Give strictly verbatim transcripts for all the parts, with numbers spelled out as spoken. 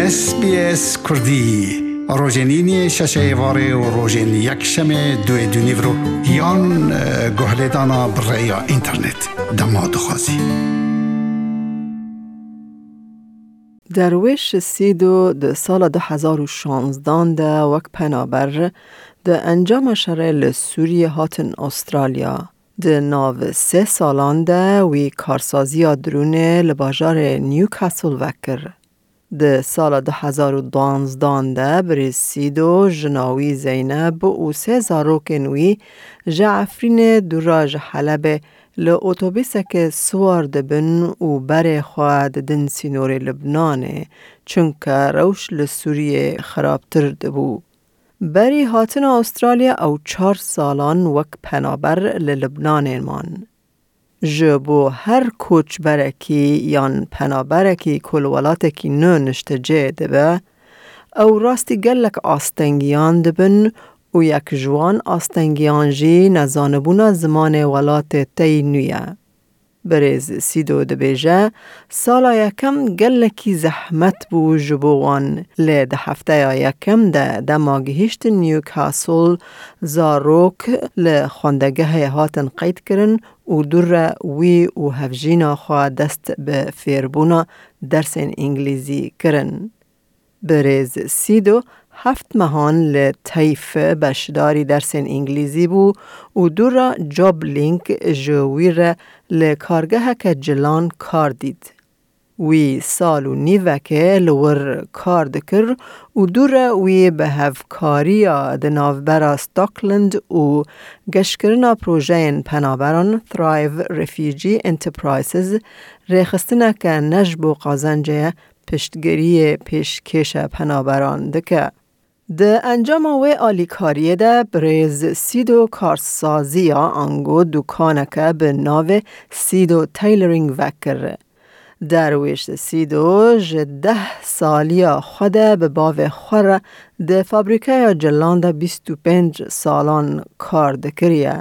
S B S Kurdî, rojên îniyê şeşê êvarê û rojên yekşemê duê dûnîvro yan, e, guhlêdana bi rêya înternet. Dema dixwazî. Derwêş Sîdo di sala du hezar û şanzdan de wek penaber di encama şerê li Sûriyê hatin Astralya. Di nav sê salan de wî karsaziya dirûnê li bajarê Newcastle vekir. Di sala du hezar û duanzdan de birêz Sîdo, jina wî Zeyneb û sê zarokên wî ji Efrînê dûra ji Helebê li otobîsekê siwar dibin û berê xwe didin sînorê Libnanê, çunke rewş li Sûriyê xirabtir dibû. Berî hatina Astralya ew çar salan wek penaber li Libnanê man. Ji bo her koçberekî yan penaberekî ku li welatekî nû niştecê dibe, ew rastî gelek astengiyan dibin û yek ji wan astengiyan jî nezanibûna zimanê welatê te yî nû ye. Birêz Sîdo dibêje, sala yekem gelekî zehmet bû ji bo wan, lê di hefteya yekem de dema gihîştin Newcastle, zarok li xwendegehê hatin qeydkirin û dû re wî û hevjîna xwe dest bi fêrbûna dersên îngilîzî kirin. Birêz Sîdo heft mehan li Teyf beşdarî dersên îngilîzî bû û dû re Joblink ji wî re li kargeheke cilan kar dît. Wî sal û nîvekê li wir kar dikir û dû re wî bi hevkariya di navbera Stockland û geşkirina projeyên penaberan Thrive Refugee Enterprises rêxistineke ne ji bo qazencê ye, piştgiriyê pêşkêşe penaberan dike. Di encama wê alîkariyê de birêz Sîdo karsaziya ango dûkaneke bi navê Sîdo Tailoring vekir. Derwêş Sîdo ji deh saliya xwe de bi bavê xwe re di fabrîkeya cilan de bîst û pênc salan kar dikiriye.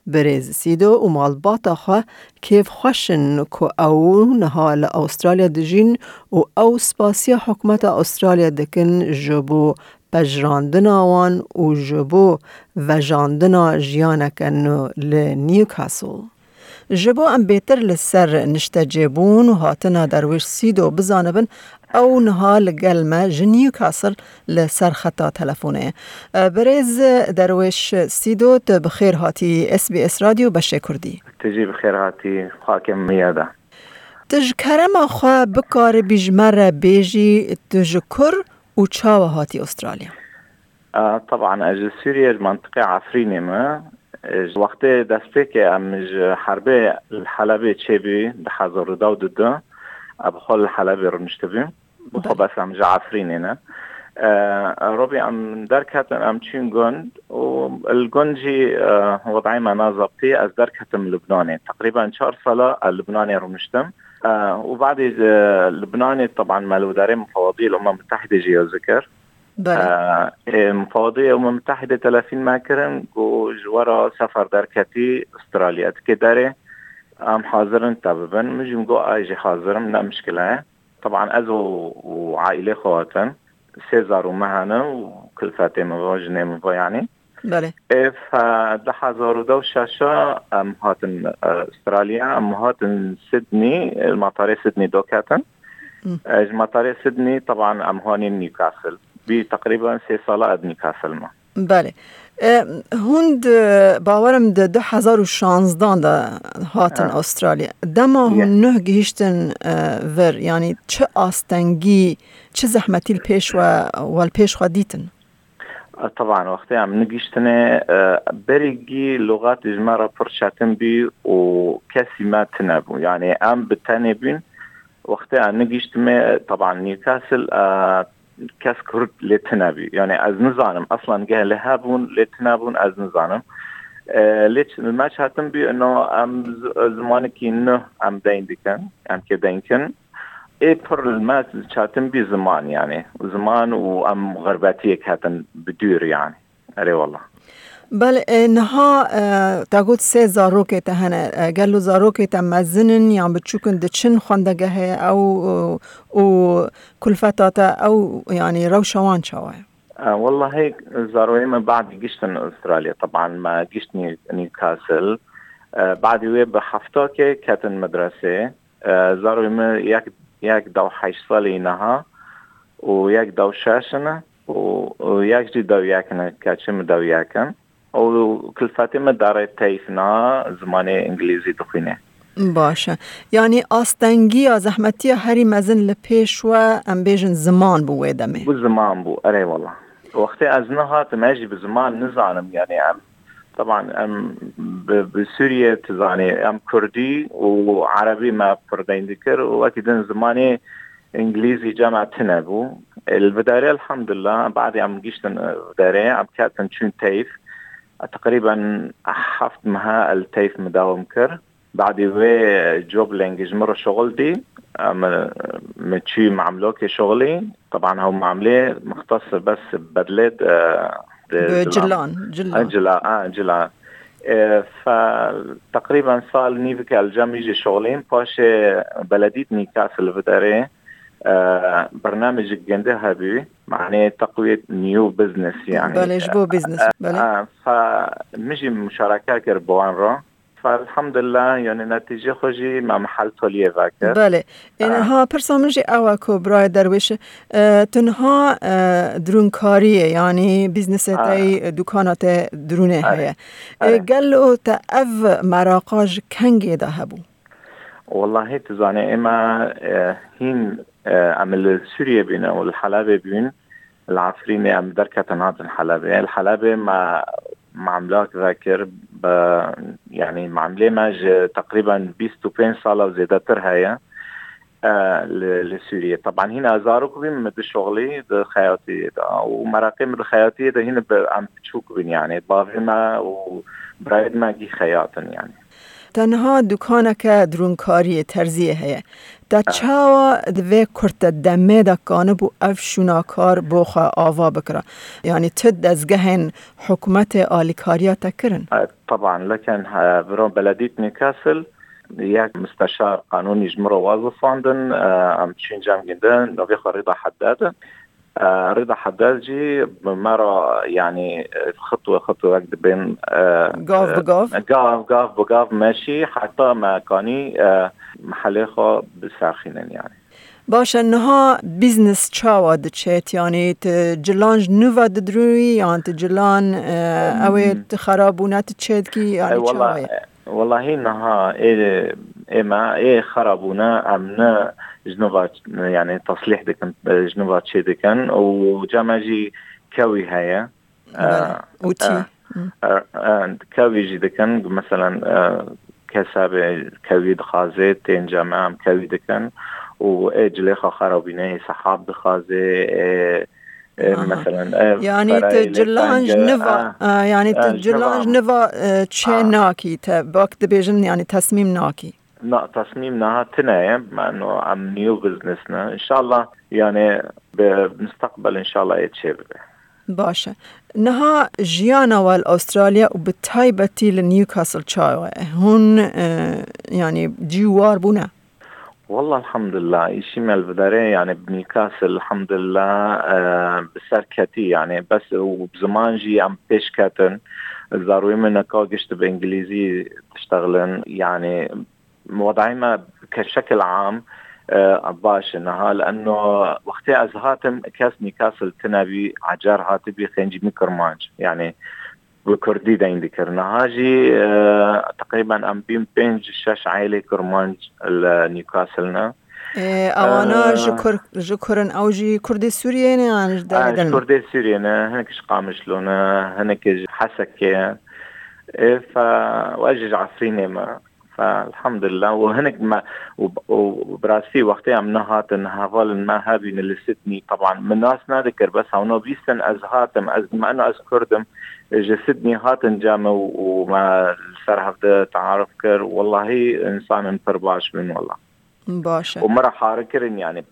Birêz Sîdo û malbata xwe kêfxweş in ku ew niha li Astralya dijîn û ew spasiya hikûmeta Astralya dikin ji bo pejirandina wan û ji bo vejandina jiyaneke nû li Newcastle. Ji bo em bêtir li ser niştecêbûn û hatina Derwêş Sîdo bizanibin, ew niha li gel me ji Newcastle li ser xeta telefonê ye. Birêz Derwêş Sîdo, tu bi xêr hatî S B S Radyo beşê Kurdî. Tu jî bi xêr hatî xakê min ya de. Tu ji kerema xwe bikaribî ji me re bêjî, tu ji kur û çawa hatî Astralya? A, teban, ez ji Sûriyê, ji mentiqê Efrînê me. E, ji wextê destpêkê em ji herbê li Helebê çêbû, di hezar û deh û du de, e, bi xwe li Helebê rûniştibû. Bi xwe Belê. Bes em ji Efrînê ne. E, Robî, em derketin, em çûn gund û li gund jî, e, wedayê me nazebtî, ez derketim Libnanê. Teqrîben çar sala ez Libnanê rûniştim. E, û badê, e, Libnanê, teban, me li wêdarê Mufewedî Umem Mutehidê jî ya zikir. Belê. E, ê, Mufewedî Umem Mutehidê telefîn me kirin, ku ji we re sefer derketî Astralya. Tikê derê, em hazir in te bibin. Min jî min got, ay jî hazir im, ne mişkile ye. Teban ez û, û aîlê xwe hatin. Sê zarû me hene û kulfetê min ve, jinê min ve yanî. Belê. Ê, fe-, du hezar û deh û şeş em hatin, e, Astralya, em hatin Sydney, e, matarê Sydney doketin. Hı. E, ji matarê Sydney, teban em hanîn Newcastle. Bî teqrîben sê sala ez Newcastle me. Belê. E, hûn di, bawerim di du hezar û şanzdan de hatin Ha. Astralya. Dema Ye. hûn nuh gihiştin, e, vir, yanî çi astengî, çi zehmetî li pêş we, we li pêş xwe dîtin? E, teban, wextê em nigiştine, e, berî gî logat ji me re pir çetin bî û kesî me tine bû. Yanî em bi tenê bûn. Wextê em nigiştime, teban, Newcastle, e, kes Kurd lê tine bî. Yanî ez nizanim, eslan geh lê hebûn, lê tine bûn, ez nizanim. E, lê ç-, me çetin bî, ino em z-, zimanekî nû em deyn dikin, em kê deyn kin. Ê pir li me çetin bî ziman, yanî ziman û em xirbetiyê ketin bi dûr, yanî. Erê wallah. Belê, e, niha, e, te got sê zarokê te hene. E, gelo zarokê te mezin in yan biçûk in, diçin xwendegehê ew, e, û kulfeta te ew, yanî rewşa wan çawa ye? E, wellahî, zaroyê me badî giştin Australya. Teban me gişt New-, Newcastle. E, badî wê bi heftakê ketin medresê. E, zaroyê me yek, yek dew heşt salî niha û yek dew şeş in û, û yek jî dew yek in, keçê min dew yek in. Û kulfetê min darê teyf na zimanê îngilîzî dixwîne. Baş e. Yanî astengiya, zehmetiya herî mezin li pêş we, em bêjin, ziman bû wê demê. Bu ziman bû, erê wala. Wextê ez nehatim, ez jî bi ziman nizanim, yanî em, teban em bi, bi Sûriye, tu zanî, em Kurdî û Erebî me pir deyn dikir û wekî din zimanê îngilîzî cem me tune bû. Li vidarê, elhamdulillah, badê em giştin, e, vidarê, em ketin çûn teyf. Teqrîben heft meha el teyf min dewam kir. Badî wê job lengî ji min re şixul dî. Em, min çû mamlokê şixulî. Teban hew mamlê muxtes bes bedlê de, de Bi cilan. Cilan, cila. Ha, cila, ha, cila. E, fe, teqrîben sal nîvike el cem wî jî şixulîm. Paşê beledît Newcastle li vidarê, e, bernamecik gende hebî. Manê teqwiyet new business yani. Belê, ji bo business, E, belê. E, fe, min jî muşareke kir bi wan re. Elhamdulillah, yani netîce xwe jî me mehel toliyê vekir. Belê. Ê, ha, pirsa min jî ew e ku birayê Derwêş, e, tu niha, e, dirûnkariyê, yanî bîznesê te yî, dukana te dirûnê heye. Ê, gelo te ev meraqa ji kengê de hebû? Wallahî, tu zanî, ême, e, hîn, e, em li Sûriyê bîn û li Helebê bîn. Li Efrînê em derketin hatin Helebê. Li Helebê me, mamlak vekir, bi, yanî mamlê me ji teqrîben bîst û pênc sala û zêdetir heye, e, li, li Sûriyê. Teban hîna zarok bîn min di şoxlî, di xeyatiyê de. Û meraqê min di xeyatiyê de hîn bi em biçûk bîn, yanî bavê me û birayê me gî xeyat in, yanî. Te niha dukaneke dirûnkariyê, terziyê heye. Te çawa di vê kurte demê de kanibû ev şûna kar bo xwe ava bikira? Yanî tu dezgehên hikûmetê alîkariya te kirin? E, teban, leken, e, viro beledît Newcastle, yek musteşar qanûnî ji min re wazifandin, e, em çûn cem ginde, navê xwe Rida Haddad. E, Rida Haddad jî me re, yanî, e, xitwe xitwe wek dibên, e, Gav bi gav? e, gav, gav bi gav meşî, heta me kanî, e, mehelê xwe biserxînin, yanî. Baş e, niha business çawa diçêt? Yanî tu cilan ji nû ve didirûyî yan tu cilan, e, ew ê Hmm. tu xerabûne tu çêdikî, yanî E, çawa wela-, ye? e, wellahî niha ê, ê me, ê xerabûne em ne ji nû ve, yanî teslîh dikin, e, ji nû ve çêdikin û cem me jî kewî heye. Belê. E, Û tî. e, Hı. e, e, kewî jî dikin, meselen, e, kes hebe kewî dixwaze, tên cem me em kewî dikin û ê cilê xwe xerabîne, ê sehab dixwaze, ê, ê, Aha. meselen, ê Yanî tu ferayê lê cilan teng, ji niva, a, a, yanî tu a, ji cilan niva ji niva, e, çê A. nakî, te bak dibêjin, yanî tesmîm nakî. Na, tesmîm niha tune ye, meno em new business ne. Înşallah, yanî bi mustaqbel înşallah ê çê bibe. Baş e. Niha jiyana we li Australya û bi taybetî li Newcastle çawa ye? Hûn, e, yanî cî war bûne? Wallah, elhamdulillah, îşî me li vidarê, yanî bi Newcastle, elhamdulillah, e, bi ser ketî, yanî bes û bi ziman jî em pêş ketin. Zarûyê min neka gişt bi îngilîzî diştexilin, yanî Wedayê me ke şekil am, e, baş e niha, li eno wextê ez hatim, kes Newcastle tune bî, ecar hatibî, xêncî min Kirmanc. Yanî bi Kurdî deyn dikir. Niha jî, e, teqrîben em bîn pênc şeş aîlê Kirmanc li Newcastle ne. E, ewana E, ji Kur-, ji Kur in, ew jî Kurdê Sûriyê ne yan ji E, derê ji din? Kurdê Sûriyê ne, hinek ji Qamişlo ne, hinek ji Hesekê ye. E, fe, we jî ji Efrînê me. Fe, elhamdulillah. Û hinek me, û, û bi rastî wextê em nehatin, hevalên me hebîne li Sydney. Teban, min nas nedikir, bes hewna bîstin ez hatim. Ez, me, ez Kurd im, ji Sydney hatin cem û, û me li ser hevde tearuf kir. Wellahî, însanên pir baş bûn, wallah. Baş e. Û me re har kirin, yanî,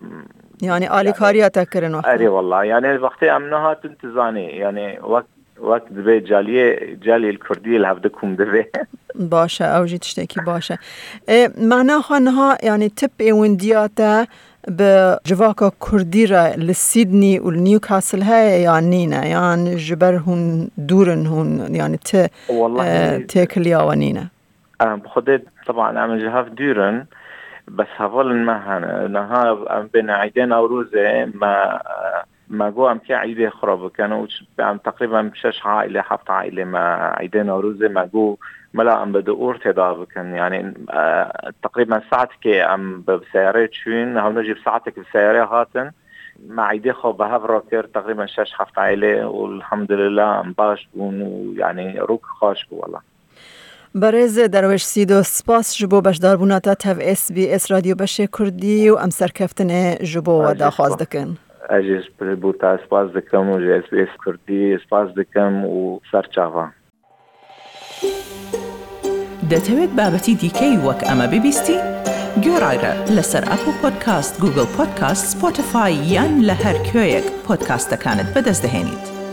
Yanî yanî alîkariya te kirin wextê? Erê, wallah. Yanî, wextê em nehatin, tu zanî, yanî, wek Wek dibê caliyê, caliyê li Kurdiyê li hev dikum divê. Baş e, ew jî tiştekî baş e. E, mana xwe niha, yanî, ti pêwendiya te bi civaka Kurdî re li Sydney û li Newcastle heye yan nîne? Yan ji ber hûn dûr in hûn, yanî, ti, Wallahî, e, têkiliya we nîne? Em, bi Xwedê, teban em ji hev dûr in, bes hevalên me hene. Niha em bên Eîdê Newrozê me, me got em kê Eîdê xwe re bikin û ç-, em teqrîben şeş aîle, heft aîle me Eîdê Newrozê me got mela em bi di ortê de bikin. Yanî, e, teqrîben saetekê em bi seyarê çûn, hewne jî bi saetek bi seyarê hatin. Me Eîdê xwe bi hev re kir, teqrîben şeş heft aîle û elhamdulillah em baş bûn û yanî rûk xweş bû wela. Berêz Derwêş Sîdo, spas ji bo beşdarbûna te tev S B S Radyo Beşê Kurdî û em serkeftinê ji bo we daxwaz dikin. Ez jî bo te spas dikim û ji S B S Kurdî spas dikim û ser çava. دەتەوێت بابەتی دیکەی وەک ئەمە ببیستی؟ گوێڕایرە لەسەر ئەپڵ پۆدکاست، گوگڵ پۆدکاست، سپۆتیفای یان لە هەر کوێیەک پۆدکاستەکانت بەدەست دەهێنیت.